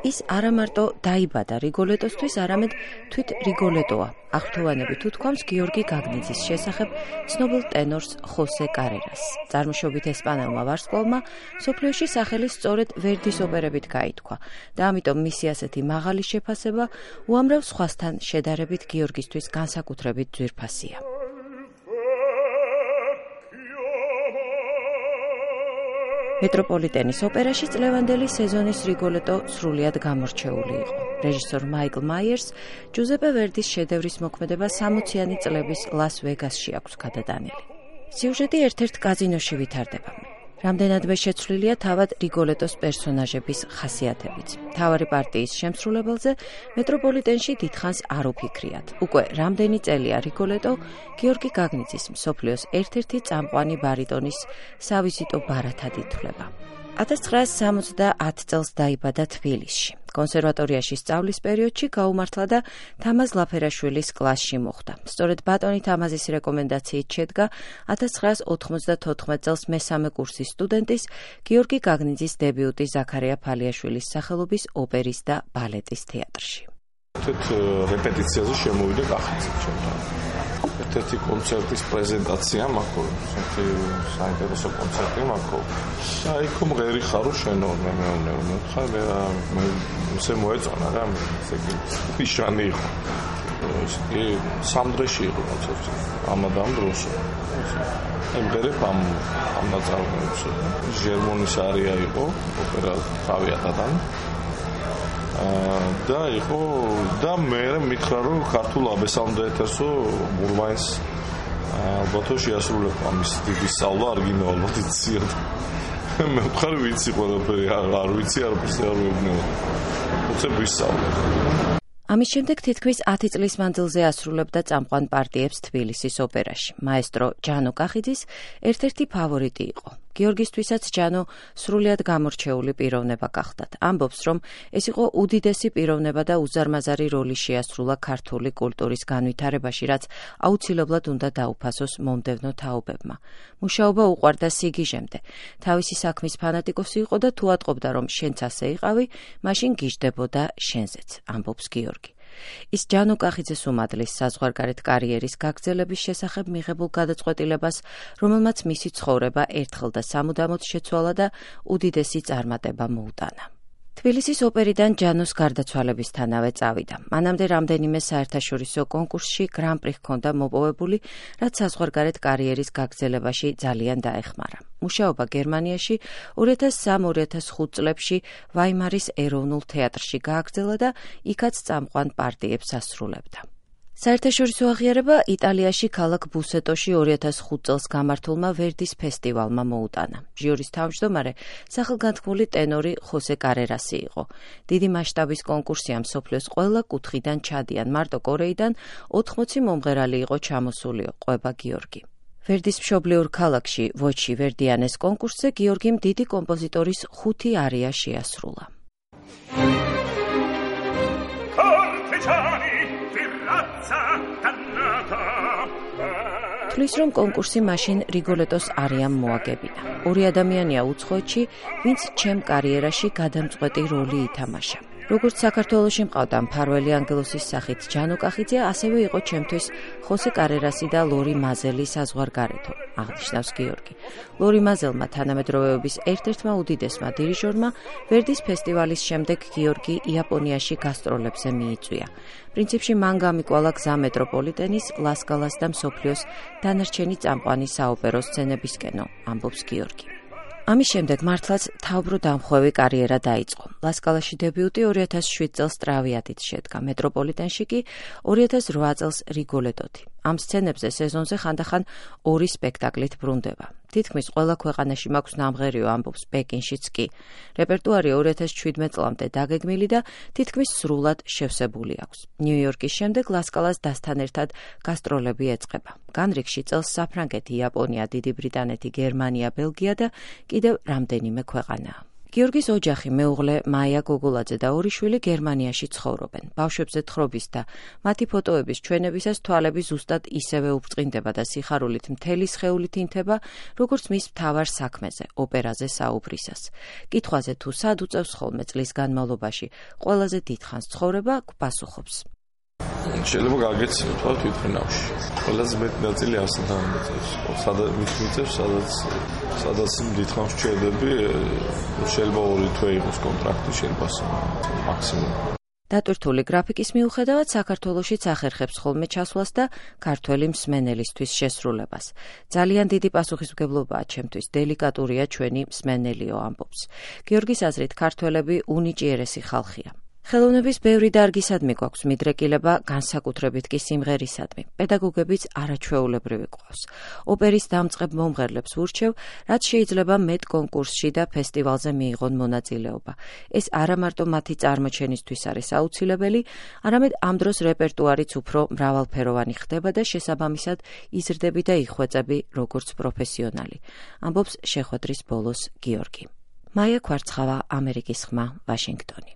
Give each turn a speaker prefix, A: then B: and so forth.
A: ის არა მარტო დაიბადა რიგოლეტოსთვის, არამედ თვით რიგოლეტოა. აღფრთოვანები თუ თქვამს გიორგი გაგნიძის შესახებ ცნობილ ტენორს ხოსე კარერას. წარმოშობით ესპანელმა ვარსკვლავმა მსოფლიოში სახელი სწორედ ვერდის ოპერებით გაითქვა და ამიტომ მისი ასეთი მაღალი შეფასება უამრავ სხვასთან შედარებით გიორგისთვის განსაკუთრებით ძვირფასია. მეტროპოლიტენის ოპერაში წლევანდელი სეზონის რიგოლეტო სრულიად გამორჩეული იყო. რეჟისორ მაიკლ მაიერს ჯუზეპე ვერდის შედევრის მოქმედება 60-იანი წლების ლას-ვეგასში აქვს გადატანილი. სიუჟეტი ერთ-ერთ კაზინოში ვითარდება. რამდენადმე შეცვლილია თავად რიგოლეტოს პერსონაჟების ხასიათებიც. მთავარი პარტიის შემსრულებელზე მეტროპოლიტენში დიდხანს არ უფიქრიათ. უკვე რამდენი წელია რიგოლეტო გიორგი გაგნიძის მსოფლიოს ერთ-ერთი წამყვანი ბარიტონის სავიზიტო ბარათად ითვლება. 1970 წელს დაიბადა თბილისში. კონსერვატორიაში სწავლის პერიოდში გაუმართლა და თამაზ ლაფერაშვილის კლასში მოხვდა. სწორედ ბატონი თამაზის რეკომენდაციით შედგა 1994 წელს მესამე კურსის სტუდენტის გიორგი გაგნიძის დებიუტი ზაქარია ფალიაშვილის სახელობის ოპერის და ბალეტის თეატრში.
B: რეპეტიციაზე შემოვიდა კახიძე ჩემთან. ერთ-ერთი კონცერტის პრეზენტაცია მაქვს, საინტერესო კონცერტი მაქვს. აი ხომ ღერი ხარო შენო მე ხარ მე ისე მოეწონა რა ისე ფიშანი იყო. ისე სამდრეში იყო კონცერტი. ამადამ დროს. ემბერებ ამ ნაწარმოებს. ჟერმონის არია იყო ოპერა თავიათთან. და იყო და მე მითხრა რომ ქართულ აბესამდე ეთერსო მურვაინს ალბათო შეასრულებ ამის დიდი სწავლა არ გინავალოთ იციან მე ვხარ ვიცი ყველაფერი არ ვიცი არ ვსწავლობ უცებ ვისწავლე.
A: ამის შემდეგ თითქმის 10 წლის მანძილზე ასრულებდა წამყვან პარტიებს თბილისის ოპერაში. მაესტრო ჯანო კახიძის ერთ-ერთი ფავორიტი იყო. გიორგისთვისაც ჯანო სრულიად გამორჩეული პიროვნება გახდათ. ამბობს, რომ ეს იყო უდიდესი პიროვნება და უზარმაზარი როლი შეასრულა ქართული კულტურის განვითარებაში, რაც აუცილებლად უნდა დაუფასოს მომდევნო თაობებმა. მუშაობა უყვარდა სიგიჟემდე. თავისი საქმის ფანატიკოსი იყო და თუ ატყობდა, რომ შენც ასე იყავი, მაშინ გიждდებოდა შენზეც, ამბობს გიორგი. ის ჯანო კახიძეს უმადლის საზღვარგარეთ კარიერის გაგრძელების შესახებ მიღებულ გადაწყვეტილებას, რომელმაც მისი ცხოვრება ერთხელ და სამუდამოდ შეცვალა და უდიდესი წარმატება მოუტანა. თბილისის ოპერიდან ჯანოს გარდაცვალებისთანავე წავიდა. მანამდე რამდენიმე საერთაშორისო კონკურსში გრან-პრი ჰქონდა მოპოვებული, რაც საზღვარგარეთ კარიერის გაგრძელებაში ძალიან დაეხმარა. მუშაობა გერმანიაში 2003-2005 წლებში ვაიმარის ეროვნულ თეატრში გააგრძელა და იქაც წამყვან პარტიებს ასრულებდა. საერთაშორისო აღიარება იტალიაში ქალაქ ბუსეტოში 2005 წელს გამართულმა ვერდის ფესტივალმა მოუტანა. ჟიურის თავმჯდომარე სახელგანთქმული ტენორი ხოსე კარერასი იყო. დიდი მასშტაბის კონკურსია მსოფლიოს ყველა კუთხიდან ჩადიან. მარტო კორეიდან 80 მომღერალი იყო ჩამოსული, ყვება გიორგი. ვერდის მშობლიურ ქალაქში ვოჩი ვერდიანეს კონკურსზე გიორგიმ დიდი კომპოზიტორის 5 არია შეასრულა. თulis რომ კონკურსი მაშინ რიგოლეტოს არიამ მოაგებინა. ორი ადამიანია უცხოეთში, ვინც ჩემ კარიერაში გადამწყვეტი როლი ითამაშა. როგორც საქართველოში მყავდა მფარველი ანგელოსის სახით ჯანო კახიძე, ასევე იყო ჩემთვის ხოსე კარერასი და ლორი მაზელი საზღვარგარეთო, აღნიშნავს გიორგი. ლორი მაზელმა თანამედროვეობის ერთ-ერთმა უდიდესმა დირიჟორმა ვერდის ფესტივალის შემდეგ გიორგი იაპონიაში გასტროლებზე მიიწვია. პრინციპში მან გამიკვალა გზა მეტროპოლიტენის, ლასკალას და მსოფლიოს დანარჩენი წამყვანი საოპერო სცენებისკენო, ამბობს გიორგი. ამის შემდეგ მართლაც თავბრო დამხვევი კარიერა დაიწყო. ლასკალაში დებიუტი 2007 წელს ტრავიატით შედგა, მეტროპოლიტენში კი 2008 წელს რიგოლეტოთი. ამ სცენებზე სეზონზე ხანდახან 2 სპექტაკლით ბრუნდება. თითქმის ყველა ქვეყანაში მაქვს ნამღერიო, ამბობს პეკინშიც კი. რეპერტუარი 2017 წლამდე დაგეგმილი და თითქმის სრულად შევსებული აქვს. ნიუ-იორკის შემდეგ ლასკალას დასთან ერთად გასტროლები ეწყება. განრიგში წელს საფრანგეთი, იაპონია, დიდი ბრიტანეთი, გერმანია, ბელგია და კიდევ რამდენიმე ქვეყანაა. გიორგის ოჯახი, მეუღლე მაია გოგოლაძე და ორი შვილი გერმანიაში ცხოვრობენ. ბავშვებზე თხრობის და მათი ფოტოების ჩვენებისას თვალები ზუსტად ისევე უბწყინდება და სიხარულით მთელი სხეულით ინთება, როგორც მის მთავარ საქმეზე, ოპერაზე საუბრისას. კითხვაზე თუ სად უწევს ხოლმე წლის განმავლობაში ყველაზე დიდხანს ცხოვრება, გპასუხობს.
B: შეიძლება გაგეცნო თქვა თვითმფრინავში. ყველაზე მეტი ნაწილი ასთან მოწევს. სადაც დიდხანს ჩერდები, შეიძლება 2 თვე იყოს კონტრაქტი, შეიძლება მაქსიმუმ.
A: დატვირთული გრაფიკის მიუხედავად საქართველოშიც ახერხებს ხოლმე ჩასვლას და ქართველი მსმენელისთვის შესრულებას. ძალიან დიდი პასუხისმგებლობაა ჩემთვის, დელიკატურია ჩვენი მსმენელიო, ამბობს. გიორგის აზრით, ქართველები უნიჭიერესი ხალხია. ხელოვნების ბევრი დარგისადმი გვაქვს მიდრეკილება, განსაკუთრებით კი სიმღერისადმი. პედაგოგებიც არაჩვეულებრივი გვყავს. ოპერის დამწყებ მომღერლებს ვურჩევ, რაც შეიძლება მეტ კონკურსში და ფესტივალზე მიიღონ მონაწილეობა. ეს არა მარტო მათი წარმოჩენისთვის არის აუცილებელი, არამედ ამ დროს რეპერტუარიც უფრო მრავალფეროვანი ხდება და შესაბამისად იზრდები და იხვეწები როგორც პროფესიონალი. ამბობს შეხვედრის ბოლოს გიორგი. მაია ქვარცხავა, ამერიკის ხმა, ვაშინგტონი.